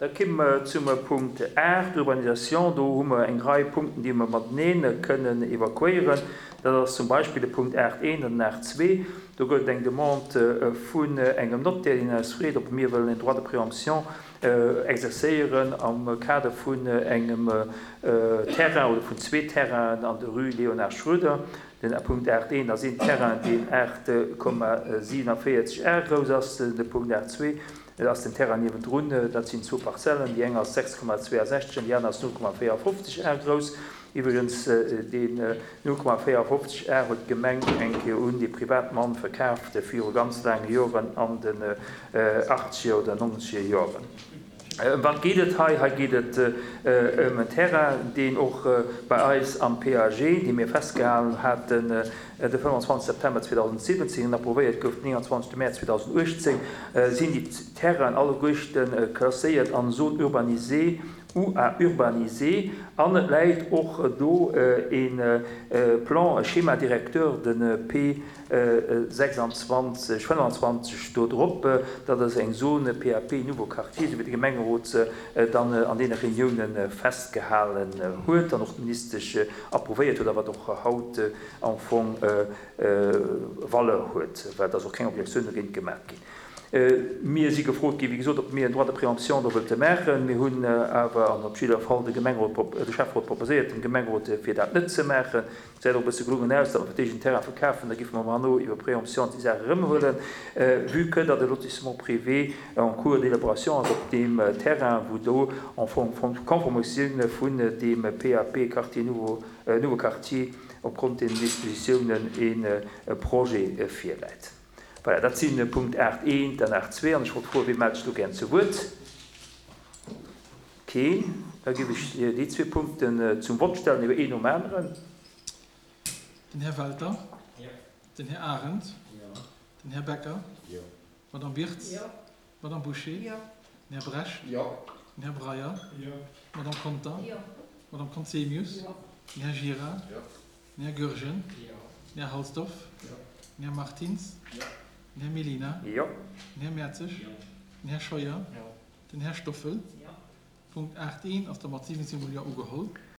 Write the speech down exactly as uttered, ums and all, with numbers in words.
Da komme mer zum Punkt aacht, Urbanisation. Do hu mer eng Rei Punkten, déi mer matenee kënnen evakuéieren. Dat ass zum Beispill de Punkt aacht eent an den aacht zwee. Do gëtt et eng Demande vun engem Notaire, deen eis freet, ob mir wëllen en Droit de préemption exercéieren am Kader vun engem Terrain oder vun zwee Terrainen an der Rue Léonard Schroeder. Den Punkt aacht eent ass een Terrain, deen aacht Komma siewenundvéierzeg Ar grouss ass. De Punkt aacht zwee, dat ass den Terrain niewendrun. Dat sinn zwou Parzellen, déi eng ass sechs Komma zweeasechzeg an déi aner ass null Komma véierundfofzeg Ar grouss. Iwwregens, deen null Komma véierundfofzeg Ar huet d'Gemeng eng Kéier un dee Privatmann verkaaft viru ganz laange Joren, an den achtzeger oder nonzeger Joren. Ëm wat geet et hei? Hei geet et ëm en Terrain, deen och bei eis am P A G, dee mir festgehalen haten de fënnwandzwanzegste September zweedausentsiwwenzéng an approvéiert gouf den nénganzwanzegste Mäerz zweedausentuechtzéng, sinn déi Terrainen alleguerten klasséiert an Zone urbanisée ou à urbaniser. An et läit och do e Plan, e Schéma directeur, de P sechsundzwanzeg, fënnwandzwanzeg do drop. Dat ass eng Zone P A P Nouveau Quartier, esou wéi de Gemengerot se dann an deene Reuniounen festgehalen huet an och d'Ministesch approuvéiert huet, a wat och haut am Fong Valeur huet, well et ass och keng Objektioun dogéint gemaach ginn. Mir si gefrot ginn, wéi gesot, ob mir en Droit de préemption do wëlte maachen. Mir hunn awer an op jidder Fall de Gemengerot prop-, de Schäfferot proposéiert, dem Gemengerot, fir dat net ze maachen. Et gesäit och e bësse gelungen aus, datt mer fir d'éischt en Terrain verkafen, da géife mer herno iwwer Préemption déi Saach erëmhuelen, vue que datt e Lotissement privé en cours d'élaboration ass op deem Terrain, wou do en fong conformitioun vun deem P A P Quartier Nouveau, Nouveau Quartier opgrond deenen Dispositiounen e Projet virläit. Voilà, dat sinn Punkt aacht eent an aacht zwee. An ech wollt froen, wie mellt sech do gären zu Wuert? Keen. Da géif ech déi zwee Punkten zum Vott stellen, iwwer een nom aneren. Den Här Welter. Jo. Den Här Arendt. Jo. Den Här Becker. Jo. D'Madame Wirtz. Jo. D'Madame Bouché. Jo. Den Här Brecht. Jo. Den Här Breyer. Jo. D'Madame Conter. Jo. D'Madame Conzemius. Jo. Den Här Gira. Jo. Den Här Goergen. Jo. Den Här Halsdorf. Jo. Den Här Martins. Jo. Den Här Mellina. Jo. Den Här Mertzig. Jo. Den Här Scheuer. Jo. Den Här Stoffel. Jo. Punkt aacht eent ass da mat siwwenzéng Mol Jo ugeholl.